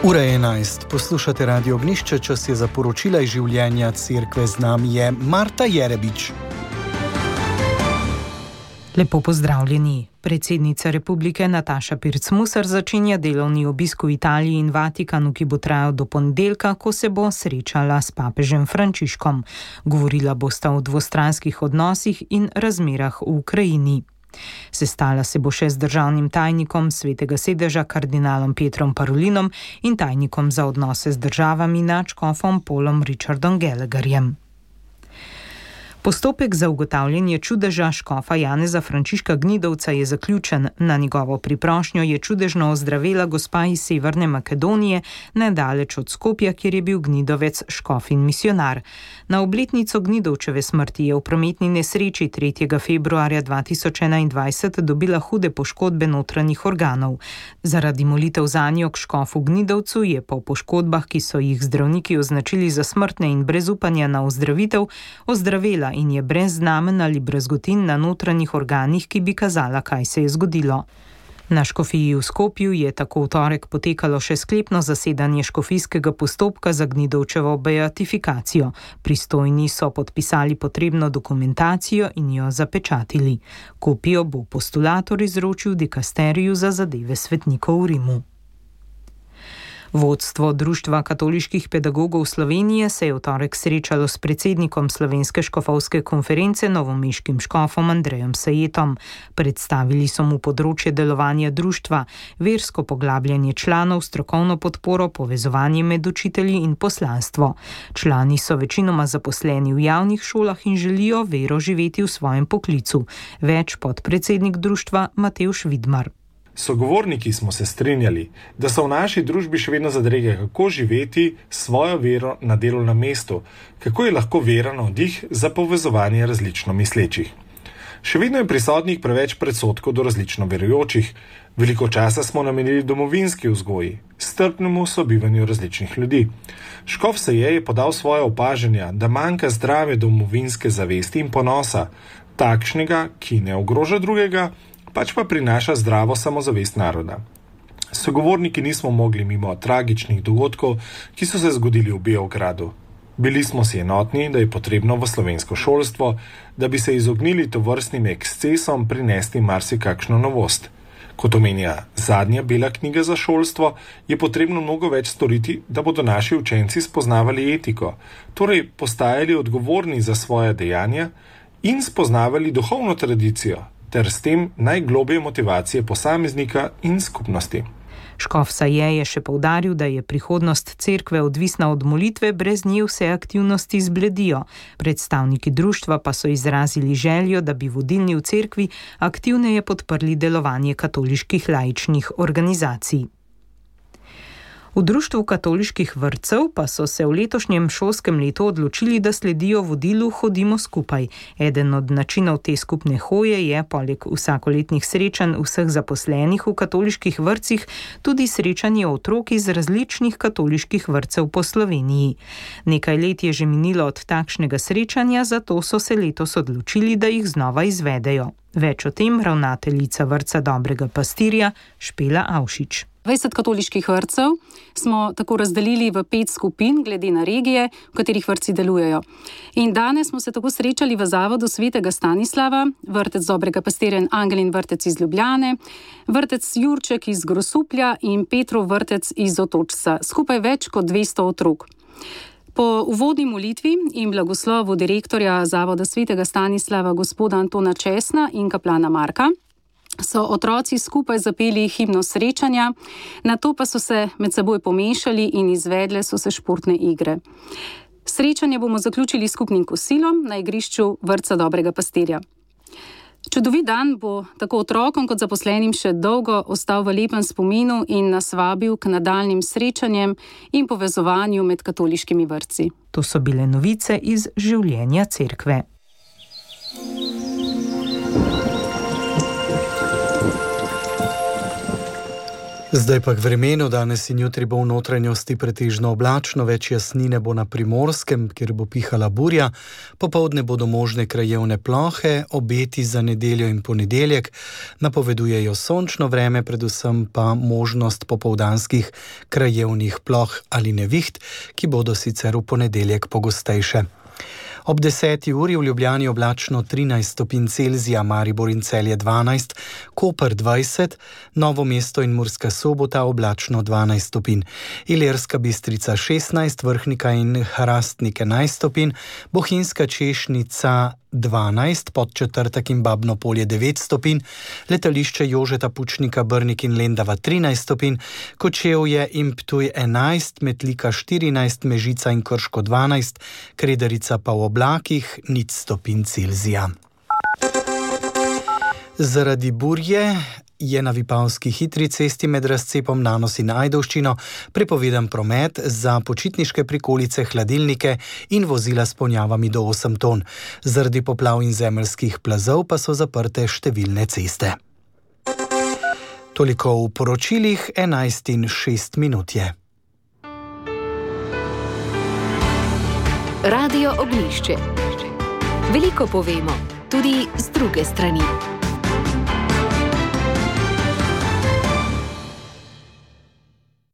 Ura je 11. Poslušate Radio Ognišče, čas je za poročila iz življenja cerkve. Z nami je Marta Jerebič. Lepo pozdravljeni. Predsednica republike Nataša Pirc-Musar začenja delovni obisk v Italiji in Vatikanu, ki bo trajal do ponedeljka, ko se bo srečala s papežem Frančiškom. Govorila bosta o dvostranskih odnosih in razmerah v Ukrajini. Sestala se bo še z državnim tajnikom Svetega sedeža kardinalom Pietrom Parolinom in tajnikom za odnose z državami nadškofom Paulom Richardom Gallagherjem. Postopek za ugotavljanje čudeža škofa Janeza Frančiška Gnidovca je zaključen. Na njegovo priprošnjo je čudežno ozdravela gospa iz Severne Makedonije, nedaleč od Skopja, kjer je bil Gnidovec škof in misionar. Na obletnico Gnidovčeve smrti je v prometni nesreči 3. februarja 2021 dobila hude poškodbe notranjih organov. Zaradi molitev zanjo k škofu Gnidovcu je po poškodbah, ki so jih zdravniki označili za smrtne in brez upanja na ozdravitev, ozdravela in je brez znamen ali brazgotin na notranjih organih, ki bi kazala, kaj se je zgodilo. Na škofiji v Skopju je tako v torek potekalo še sklepno zasedanje škofijskega postopka za Gnidovčevo beatifikacijo. Pristojni so podpisali potrebno dokumentacijo in jo zapečatili. Kopijo bo postulator izročil dikasteriju za zadeve svetnikov v Rimu. Vodstvo Društva katoliških pedagogov Slovenije se je v torek srečalo s predsednikom Slovenske škofovske konference novomeškim škofom Andrejem Sajetom. Predstavili so mu področje delovanja društva, versko poglabljanje članov, strokovno podporo, povezovanje med učitelji in poslanstvo. Člani so večinoma zaposleni v javnih šolah in želijo vero živeti v svojem poklicu. Več podpredsednik društva Matevž Vidmar. Sogovorniki smo se strinjali, da so v naši družbi še vedno zadrege, kako živeti svojo vero na delovnem mestu, kako je lahko vera navdih za povezovanje različno mislečih. Še vedno je prisotnih preveč predsodkov do različno verujočih, veliko časa smo namenili domovinski vzgoji, strpnemu sobivanju različnih ljudi. Škof Saje je podal svoje opažanja, da manjka zdrave domovinske zavesti in ponosa, takšnega, ki ne ogroža drugega, pač pa prinaša zdravo samozavest naroda. Sogovorniki nismo mogli mimo tragičnih dogodkov, ki so se zgodili v Beogradu. Bili smo si enotni, da je potrebno v slovensko šolstvo, da bi se izognili tovrstnim ekscesom, prinesti marsikakšno novost. Kot omenja zadnja bela knjiga za šolstvo, je potrebno mnogo več storiti, da bodo naši učenci spoznavali etiko, torej postajali odgovorni za svoje dejanja in spoznavali duhovno tradicijo, ter s tem najglobje motivacije posameznika in skupnosti. Škof Saje je še poudaril, da je prihodnost cerkve odvisna od molitve, brez nje vse aktivnosti zbledijo. Predstavniki društva pa so izrazili željo, da bi vodilni v cerkvi aktivneje podprli delovanje katoliških laičnih organizacij. V Društvu katoliških vrtcev pa so se v letošnjem šolskem letu odločili, da sledijo vodilu Hodimo skupaj. Eden od načinov te skupne hoje je, poleg vsakoletnih srečanj vseh zaposlenih v katoliških vrtcih, tudi srečanje otrok iz različnih katoliških vrtcev po Sloveniji. Nekaj let je že minilo od takšnega srečanja, zato so se letos odločili, da jih znova izvedejo. Več o tem ravnateljica vrtca Dobrega pastirja Špela Avšič. 20 katoliških vrtcev smo tako razdelili v 5 skupin, glede na regije, v katerih vrtci delujejo. In danes smo se tako srečali v zavodu Svetega Stanislava, vrtec Dobrega pastirja in Angelin vrtec iz Ljubljane, vrtec Jurček iz Grosuplja in Petrov vrtec iz Otočca. Skupaj več kot 200 otrok. Po uvodni molitvi in blagoslovu direktorja zavoda Svetega Stanislava gospoda Antona Česna in kaplana Marka so otroci skupaj zapeli himno srečanja, nato pa so se med seboj pomešali in izvedle so se športne igre. Srečanje bomo zaključili s skupnim kosilom na igrišču vrtca Dobrega pastirja. Čudovit dan bo tako otrokom kot zaposlenim še dolgo ostal v lepem spominu in nas vabil k nadaljnjim srečanjem in povezovanju med katoliškimi vrtci. To so bile novice iz življenja cerkve. Zdaj pa k vremenu. Danes in jutri bo v notranjosti pretežno oblačno, več jasnine bo na Primorskem, kjer bo pihala burja. Popoldne bodo možne krajevne plohe, obeti za nedeljo in ponedeljek napovedujejo sončno vreme, predvsem pa možnost popoldanskih krajevnih ploh ali neviht, ki bodo sicer v ponedeljek pogostejše. Ob 10. uri v Ljubljani oblačno 13 stopinj Celzija, Maribor in Celje 12, Koper 20, Novo mesto in Murska Sobota oblačno 12 stopinj, Ilirska Bistrica 16, Vrhnika in Hrastnik 11 stopinj, Bohinjska Češnica 12, Podčetrtek in Babno Polje 9 stopinj, letališče Jožeta Pučnika, Brnik in Lendava 13 stopinj, Kočevje in Ptuj 11, Metlika 14, Mežica in Krško 12, Kredarica pa v oblakih 0 stopinj Celzija. Zaradi burje je na Vipavski hitri cesti med razcepom Nanos in Ajdovščino prepovedan promet za počitniške prikolice, hladilnike in vozila s ponjavami do 8 ton. Zaradi poplav in zemeljskih plazov pa so zaprte številne ceste. Toliko v poročilih, 11:06 je. Radio Ognjišče. Veliko povemo, tudi z druge strani.